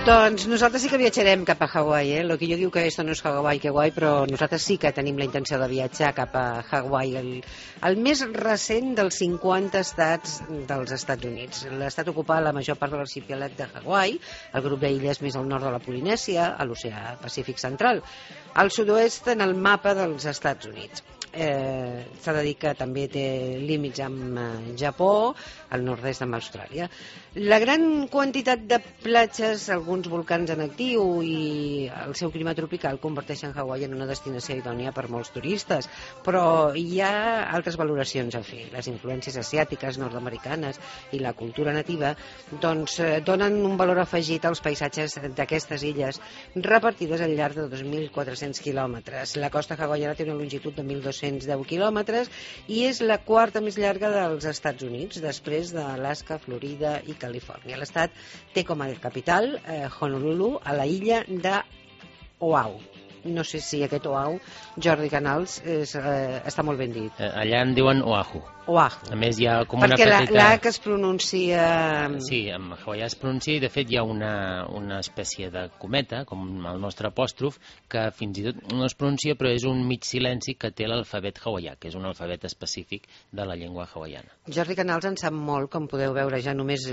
Doncs nosaltres sí que viatjarem cap a Hawaii, eh? Lo que jo diu que esto no és Hawaii, que guai, però nosaltres sí que tenim la intenció de viatjar cap a Hawaii, el més recent dels 50 estats dels Estats Units. L'estat ocupa la major part de l'arxipèlag de Hawaii, el grup d'illes més al nord de la Polinèsia, a l'oceà Pacífic central, al sud-oest en el mapa dels Estats Units. S'ha de dir que també té límits amb Japó, al nord-est amb Austràlia. La gran quantitat de platges, alguns volcans en actiu i el seu clima tropical converteixen Hawaii en una destinació idònia per molts turistes, però hi ha altres valoracions a fer. Les influències asiàtiques, nord-americanes i la cultura nativa doncs, donen un valor afegit als paisatges d'aquestes illes repartides al llarg de 2.400 quilòmetres. La costa hawaiana té una longitud de 1.210 quilòmetres i és la quarta més llarga dels Estats Units, després d'Alaska, Florida i Califòrnia. L'estat té com a capital Honolulu, a la illa d'Oahu. No sé si aquest Oahu, Jordi Canals, està molt ben dit. Allà en diuen Oahu. Oahu. A més hi ha com perquè una petita... la que es pronuncia... Sí, en hawaià es pronuncia i de fet hi ha una espècie de cometa, com el nostre apòstrof, que fins i tot no es pronuncia però és un mig silenci que té l'alfabet hawaià, que és un alfabet específic de la llengua hawaiana. Jordi Canals en sap molt, com podeu veure, ja només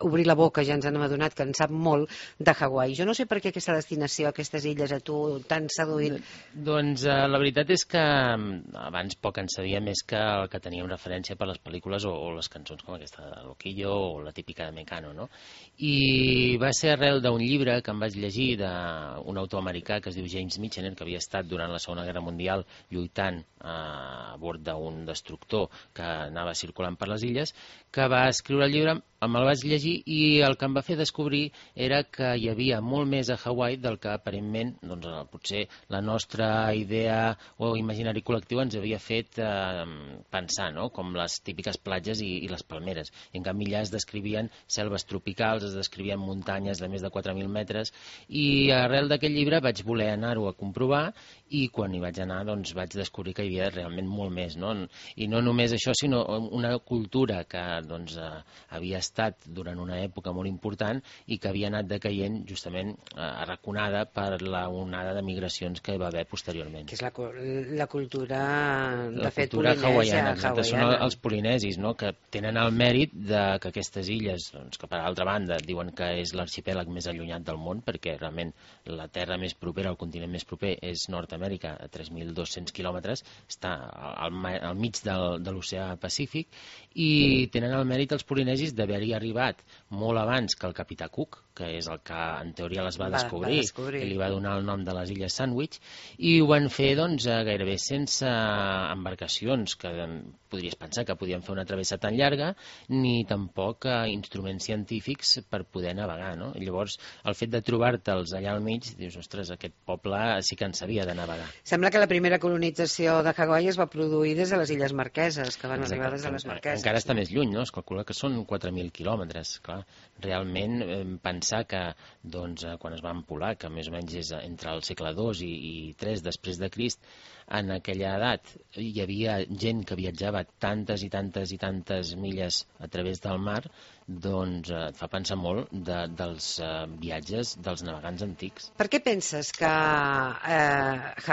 obrir la boca ja ens hem adonat que en sap molt de Hawaii. Jo no sé per què aquesta destinació, aquestes illes, a tu t'han seduït. Doncs la veritat és que abans poc en sabia més que el que teníem referència per les pel·lícules o les cançons com aquesta de Loquillo o la típica de Mecano, no? I va ser arrel d'un llibre que em vaig llegir d'un autor americà que es diu James Michener, que havia estat durant la Segona Guerra Mundial lluitant a bord d'un destructor que anava circulant per les illes, que va escriure el llibre, me'l vaig llegir i el que em va fer descobrir era que hi havia molt més a Hawaii del que aparentment, doncs, potser la nostra idea o imaginari col·lectiu ens havia fet pensar, no? Com les típiques platges i les palmeres. I en canvi allà es descrivien selves tropicals, es descrivien muntanyes de més de 4.000 metres i arrel d'aquest llibre vaig voler anar-ho a comprovar i quan hi vaig anar doncs vaig descobrir que hi havia realment molt més, no? I no només això, sinó una cultura que doncs, havia estat durant una època molt important i que havia anat decaient justament arraconada per la onada de migracions que hi va haver posteriorment. Que és la cultura, de fet, cultura hawaiana. Són els polinesis, no? Que tenen el mèrit de que aquestes illes, doncs, que per altra banda diuen que és l'arxipèlag més allunyat del món, perquè realment la terra més propera, el continent més proper és Nord-Amèrica, a 3.200 quilòmetres, està al mig de l'oceà Pacífic, i tenen el mèrit els polinesis d'haver-hi arribat molt abans que el capità Cook, que és el que en teoria les va descobrir i li va donar el nom de les illes Sandwich, i ho van fer doncs, gairebé sense embarcacions, que podries pensar que podien fer una travessa tan llarga, ni tampoc instruments científics per poder navegar, no? I llavors el fet de trobar-te'ls allà al mig, dius, ostres, aquest poble sí que en sabia de navegar. Sembla que la primera colonització de Hawaii es va produir des de les Illes Marqueses, que van arribar des de les Marqueses. Encara està més lluny, no? Es calcula que són 4.000 quilòmetres, clar. Realment pensar que doncs, quan es van poblar, que més o menys és entre el segle II i III després de Crist, en aquella edat hi havia gent que viatjava tantes i tantes i tantes milles a través del mar, doncs et fa pensar molt dels viatges dels navegants antics. Per què penses que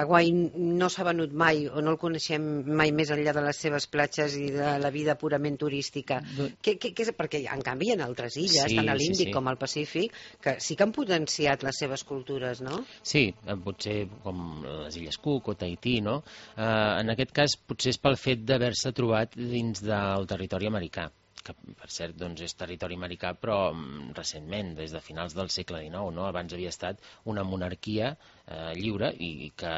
Hawaii no s'ha venut mai o no el coneixem mai més enllà de les seves platges i de la vida purament turística? Perquè en canvi hi ha altres illes, tant a l'Índic com al Pacífic, que sí que han potenciat les seves cultures, no? Sí, potser com les Illes Cook o Tahití, no? En aquest cas potser és pel fet d'haver-se trobat dins del territori americà, que per cert doncs, és territori americà però recentment, des de finals del segle XIX, no? Abans havia estat una monarquia lliure i que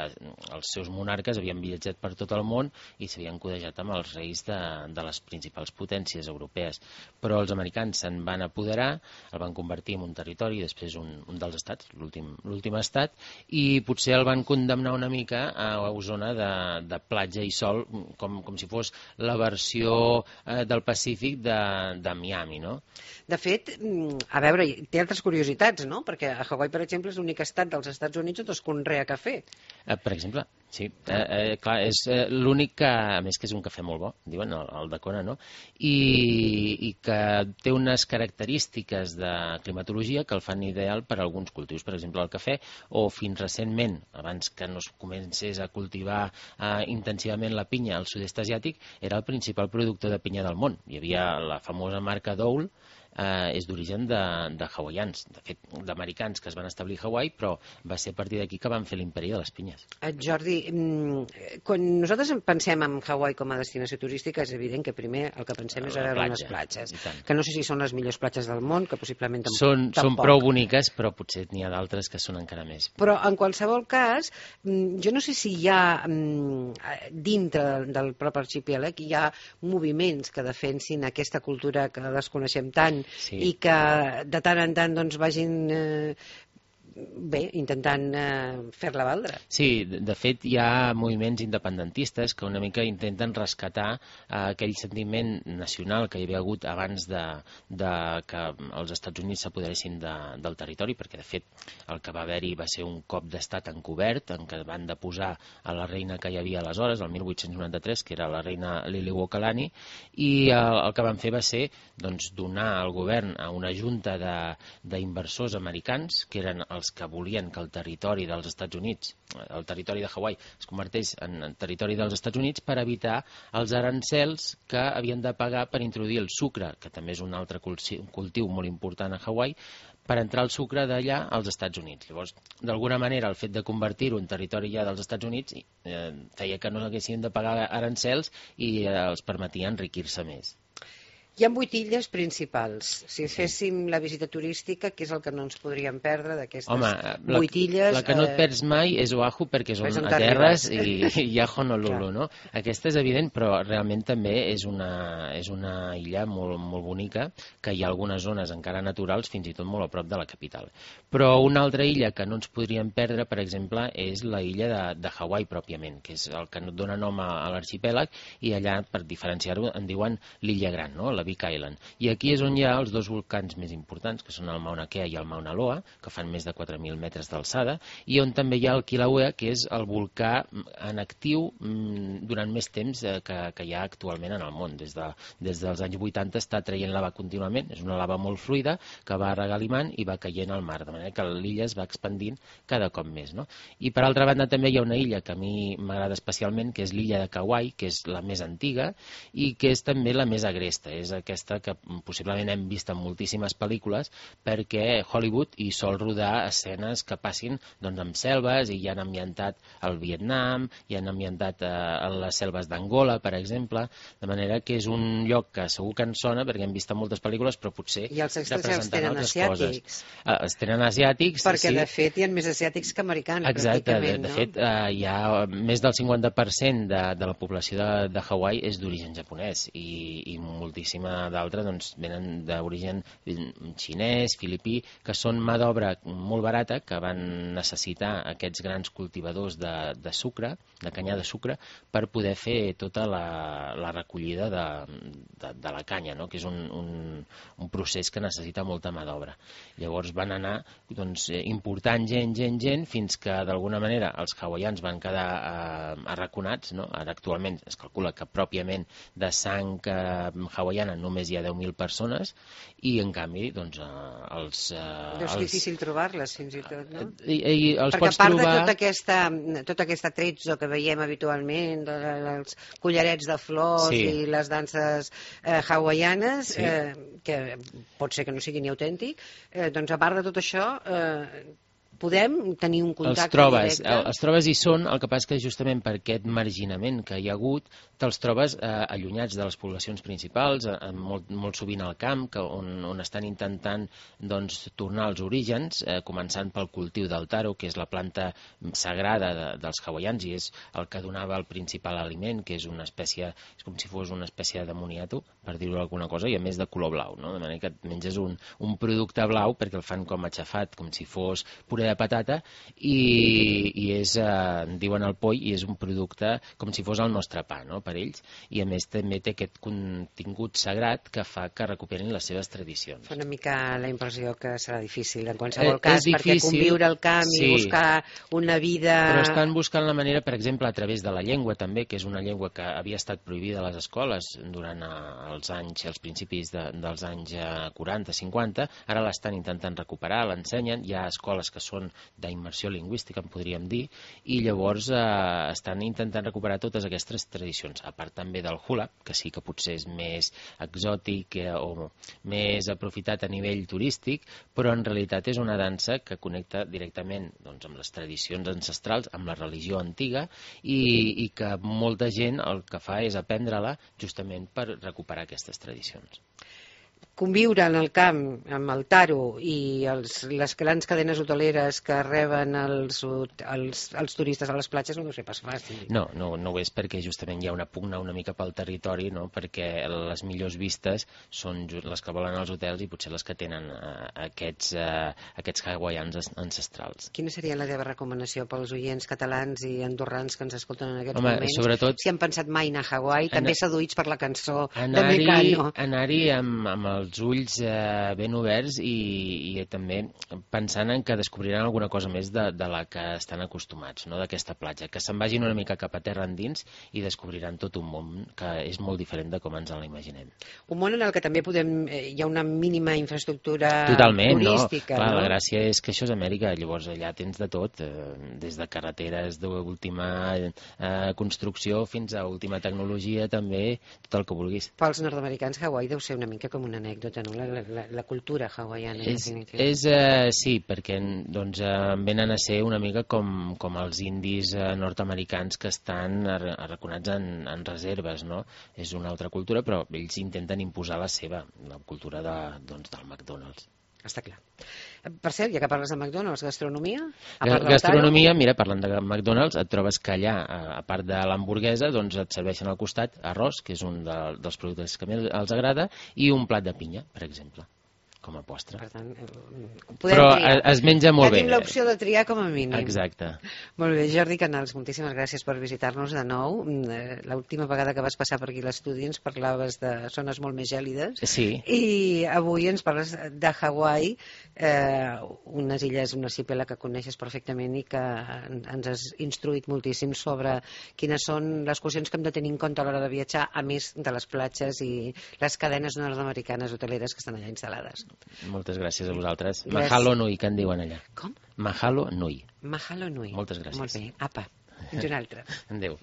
els seus monarques havien viatjat per tot el món i s'havien codejat amb els reis de les principals potències europees, però els americans se'n van apoderar, el van convertir en un territori, després un dels estats, l'últim estat, i potser el van condemnar una mica a una zona de platja i sol, com si fos la versió del Pacífic de Miami, no? De fet, a veure, té altres curiositats, no? Perquè a Hawaii, per exemple, és l'únic estat dels Estats Units on es es conrea cafè. Per exemple, sí. Clar, és l'únic que, a més que és un cafè molt bo, diuen, el de Kona, no? I que té unes característiques de climatologia que el fan ideal per a alguns cultius, per exemple el cafè, o fins recentment, abans que no es comencés a cultivar intensivament la pinya al sud-est asiàtic, era el principal productor de pinya del món. Hi havia la famosa marca Dole, és d'origen de hawaians, de fet, d'americans que es van establir a Hawaii, però va ser a partir d'aquí que van fer l'imperi de les pinyes. Jordi, quan nosaltres pensem en Hawaii com a destinació turística, és evident que primer el que pensem és a veure unes platges, que no sé si són les millors platges del món, que possiblement tampoc. Són prou boniques, però potser n'hi ha d'altres que són encara més. Però en qualsevol cas, jo no sé si hi ha dintre del propi arxipèlag hi ha moviments que defensin aquesta cultura que desconeixem tant, sí, i que de tant en tant doncs, vagin intentant fer-la valdre. Sí, de fet hi ha moviments independentistes que una mica intenten rescatar aquell sentiment nacional que hi havia hagut abans de que els Estats Units s'apoderessin del territori, perquè de fet el que va haver-hi va ser un cop d'estat encobert en què van deposar a la reina que hi havia aleshores, el 1893, que era la reina Liliuokalani, i el que van fer va ser doncs, donar al govern a una junta d'inversors americans, que eren els que volien que el territori dels Estats Units, el territori de Hawaii, es converteix en territori dels Estats Units per evitar els arancels que havien de pagar per introduir el sucre, que també és un altre cultiu molt important a Hawaii, per entrar el sucre d'allà als Estats Units. Llavors, d'alguna manera, el fet de convertir-ho en territori ja dels Estats Units feia que no haguessin de pagar arancels i els permetia enriquir-se més. Hi ha 8 illes principals. Si féssim la visita turística, què és el que no ens podríem perdre d'aquestes 8 illes? La que no et perds mai és Oahu, perquè són a terres, i hi ha Honolulu, no? Aquesta és evident, però realment també és una illa molt, molt bonica, que hi ha algunes zones encara naturals, fins i tot molt a prop de la capital. Però una altra illa que no ens podríem perdre, per exemple, és la illa de Hawaii pròpiament, que és el que dona nom a l'arxipèlag, i allà, per diferenciar-ho, en diuen l'illa gran, no? La Big Island. I aquí és on hi ha els dos volcans més importants, que són el Mauna Kea i el Mauna Loa, que fan més de 4.000 metres d'alçada, i on també hi ha el Kilauea, que és el volcà en actiu durant més temps que hi ha actualment en el món. Des dels anys 80 està traient lava contínuament, és una lava molt fluida que va regalimant i va caient al mar, de manera que l'illa es va expandint cada cop més, no? I per altra banda també hi ha una illa que a mi m'agrada especialment, que és l'illa de Kauai, que és la més antiga i que és també la més agresta. És aquesta que possiblement hem vist en moltíssimes pel·lícules, perquè Hollywood hi sol rodar escenes que passin doncs, amb selves, i hi han ambientat el Vietnam, hi han ambientat les selves d'Angola, per exemple, de manera que és un lloc que segur que ens sona, perquè hem vist en moltes pel·lícules, però potser i els extranjers tenen asiàtics. Els tenen asiàtics, perquè sí. De fet hi ha més asiàtics que americans. Exacte, pràcticament, de fet hi ha més del 50% de la població de Hawaii és d'origen japonès, i moltíssima d'altres doncs, venen d'origen xinès, filipí, que són mà d'obra molt barata, que van necessitar aquests grans cultivadors de sucre, de canyar de sucre, per poder fer tota la recollida de la canya, no? Que és un procés que necessita molta mà d'obra. Llavors van anar doncs, important gent, fins que d'alguna manera els hawaians van quedar arraconats, no? Ara actualment es calcula que pròpiament de sang hawaiana només hi ha 10.000 persones, i en canvi doncs, és difícil trobar-les fins i tot, no? I els perquè pots a part trobar... de tota aquesta tretzo que veiem habitualment, els collarets de flors, sí, i les danses hawaianes, sí, que pot ser que no sigui ni autèntic, doncs a part de tot això podem tenir un contacte directe. Els trobes hi són, el que passa que justament per aquest marginament que hi ha hagut, te'ls trobes allunyats de les poblacions principals, molt sovint al camp, on estan intentant doncs, tornar als orígens, començant pel cultiu del taro, que és la planta sagrada dels hawaians, i és el que donava el principal aliment, que és una espècie, és com si fos una espècie de moniato, per dir-ho alguna cosa, i a més de color blau, no? De manera que menges un producte blau perquè el fan com aixafat, com si fos puré puré de patata i és, diuen el poll, i és un producte com si fos el nostre pa, no?, per ells, i a més també té aquest contingut sagrat que fa que recuperin les seves tradicions. Fa una mica la impressió que serà difícil en qualsevol cas, perquè conviure al camp i buscar una vida... Però estan buscant la manera, per exemple, a través de la llengua també, que és una llengua que havia estat prohibida a les escoles durant els principis dels anys 40-50, ara l'estan intentant recuperar, l'ensenyen, hi ha escoles que són d'immersió lingüística, en podríem dir, i llavors estan intentant recuperar totes aquestes tradicions, a part també del hula, que sí que potser és més exòtic o més aprofitat a nivell turístic, però en realitat és una dansa que connecta directament doncs, amb les tradicions ancestrals, amb la religió antiga, i que molta gent el que fa és aprendre-la justament per recuperar aquestes tradicions. Conviure en el camp amb el taro i les grans cadenes hoteleres que reben els turistes a les platges no deu ser pas fàcil. No ho és, perquè justament hi ha una pugna una mica pel territori, no?, perquè les millors vistes són les que volen als hotels i potser les que tenen aquests hawaians ancestrals. Quina seria la teva recomanació pels oients catalans i andorrans que ens escolten en aquests moments? Sobretot, si han pensat mai anar a Hawaii, també seduïts per la cançó de Mecano. Anar-hi amb els ulls ben oberts i també pensant en que descobriran alguna cosa més de la que estan acostumats, no?, d'aquesta platja, que se'n vagin una mica cap a terra endins i descobriran tot un món que és molt diferent de com ens l'imaginem. Un món en el que també hi ha una mínima infraestructura Totalment, turística. no? Clar, la gràcia és que això és Amèrica, llavors allà tens de tot, des de carreteres d'última construcció fins a última tecnologia, també tot el que vulguis. Pels nord-americans Hawaii deu ser una mica com una anècdota, no? La cultura hawaiana. Sí, perquè doncs, venen a ser una mica com els indis nord-americans que estan arraconats en reserves, no? És una altra cultura, però ells intenten imposar la seva, la cultura del McDonald's. Està clar. Per cert, ja que parles de McDonald's, gastronomia? Gastronomia, mira, parlant de McDonald's, et trobes que allà, a part de l'hamburguesa, doncs et serveixen al costat arròs, que és un dels productes que més els agrada, i un plat de pinya, per exemple, com a postre. Per tant, però es menja molt bé. Ja tinc l'opció de triar com a mínim. Exacte. Molt bé, Jordi Canals, moltíssimes gràcies per visitar-nos de nou. L'última vegada que vas passar per aquí a l'estudi ens parlaves de zones molt més gèlides. Sí. I avui ens parles de Hawaii, unes illes, un arxipèlag que coneixes perfectament i que ens has instruït moltíssim sobre quines són les qüestions que hem de tenir en compte a l'hora de viatjar, a més de les platges i les cadenes nord-americanes hoteleres que estan allà instal·lades. Moltes gràcies a vosaltres. Mahalo nui, que en diuen allà. Com? Mahalo nui. Mahalo nui. Moltes gràcies. Molt bé. Apa, fins una altra. Adéu.